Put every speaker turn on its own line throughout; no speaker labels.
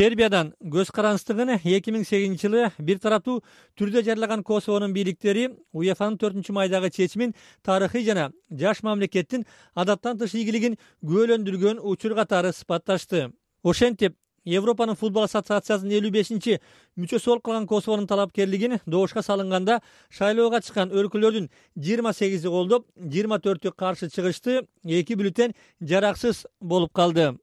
Сербиядан көз карандысыздыгын 2008-жылы бир тараптуу түрдө жарыяган Косовонун бийликтери УЕФАнын 4-майдагы чечимин тарыхый жана жаш мамлекеттин адаттан тыш ийгилигин күбөлөндүргөн учур катары сыпатташты. Ошентип, Европанын футбол ассоциациясынын 55-мүчөсү болуп калган Косовонун талапкерлигин добушка салынганда шайлоого чыккан өлкөлөрдүн 28 колдоп, 24 каршы чыгышты, 2 бюллетень жараксыз болуп калды.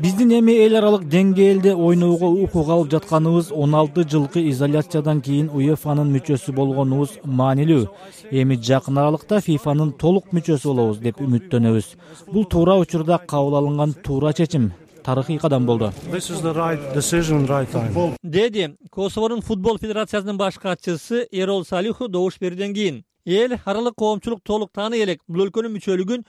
Биздин эми эл аралык деңгээлде ойноого укук алып жатканыбыз 16 жылкы изоляциядан кийин УЕФАнын мүчөсү болгонубуз маанилүү. Эми жакын аралыкта ФИФАнын толук мүчөсү болобуз деп үмүттөнөбүз. Бул туура учурда кабыл алынган туура чечим. Тарыхый кадам болду.
Деди Косовонун футбол федерациясынын баш катчысы Эрол Салиху добуш берүүдөн кийин. Эл аралык коомчулук толук тааный элек бул өлкөнүн мүчөлүгүн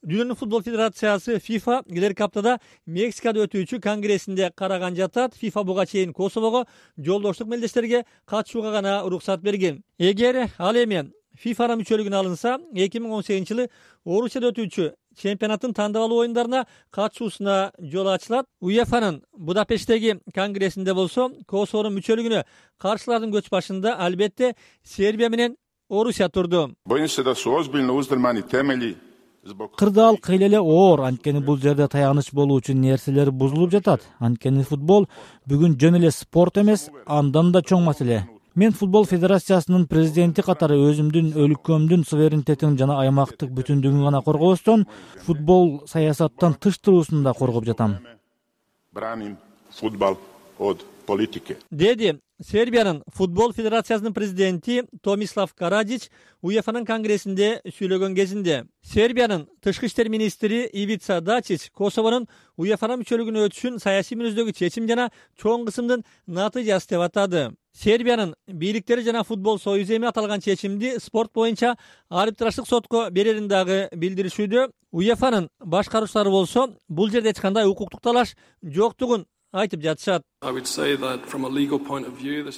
Дүйнөнүн футбол федерациясы ФИФА келерки аптада Мексикада өтүүчү конгрессинде караган жатат. ФИФА буга чейин Косового жолдоштук мелдештерге катышууга гана уруксат берген. Эгер ал эми ФИФАга мүчөлүгүнө алынса, 2018-жылы Орусияда өтүүчү чемпионаттын тандап алуу оюндарына катышуусуна жол ачылат. УЕФАнын Будапешттеги конгрессинде болсо, Косовонун мүчөлүгүнө каршылардын көч башында албетте Сербия менен Орусия турду.
Кырдаал кыйла эле оор, анткени бул жерде таяныч болуу үчүн нерселер бузулуп жатат. Анткени футбол бүгүн жөн эле спорт эмес, андан да чоң маселе. Мен футбол федерациясынын президенти катары өзүмдүн өлкөмдүн суверенитетин жана аймактык бүтүндүгүн гана коргобостон, футбол саясаттан тыш туруусун да коргоп жатам.
Деди Сербиянын футбол федерациясынын президенти Томислав Карадич УЕФАнын конгрессинде сүйлөгөн кезинде. Сербиянын тышкы иштер министри Ивица Дачич Косовонун УЕФАга мүчөлүгүнө өтүшүн саясий мүнөздөгү чечим жана чоң кысымдын натыйжасы деп атады. Сербиянын бийликтери жана футбол союзу эми аталган чечимди спорт боюнча арбитраждык сотко берерин дагы билдиришүүдө. УЕФАнын башкаруучулары болсо бул жерде эч кандай укуктук талаш жоктугун айтып жатышат.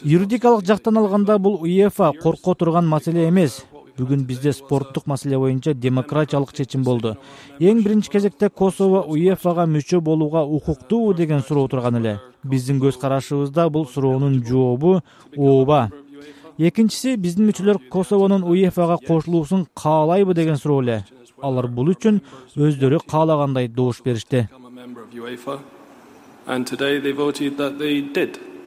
Юридикалык жактан алганда бул УЕФА корко турган маселе эмес. Бүгүн бизде спорттук маселе боюнча демократиялык чечим болду. Эң биринчи кезекте Косово УЕФАга мүчө болууга укуктуубу деген суроо турган эле. Биздин көз карашыбызда бул суроонун жообу ооба. Экинчиси, биздин мүчөлөр Косовонун УЕФАга кошулуусун каалайбы деген суроо эле. Алар бул үчүн өздөрү каалагандай добуш беришти.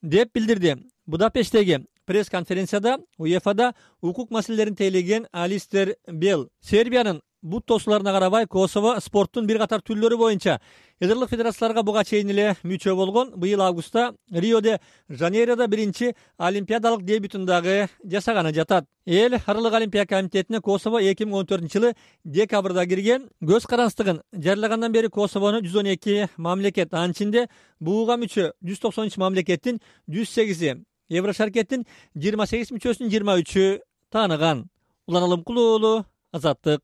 Деп билдирди. Будапешттеги пресс-конференцияда УЕФАда укук маселелерин тейлеген Алистер Белл. Сербиянын бут тосууларына карабай Косово спорттун бир катар түрлөрү боюнча эдерлик федерацияларга буга чейин эле мүчө болгон. Быйыл августта Рио-де-Жанейродо биринчи олимпиадалык дебютун дагы жасаганы жатат. Эл аралык олимпия комитетине Косово 2014-жылы декабрда кирген. Көз карандысыздыгын жарыялагандан бери Косовону 112 мамлекет, анын ичинде буга мүчө 193 мамлекеттин 108-и, Еврошаркеттин 28 мүчөсүнүн 23-ü тааныган. Улан Алымкулуу, Азаттык.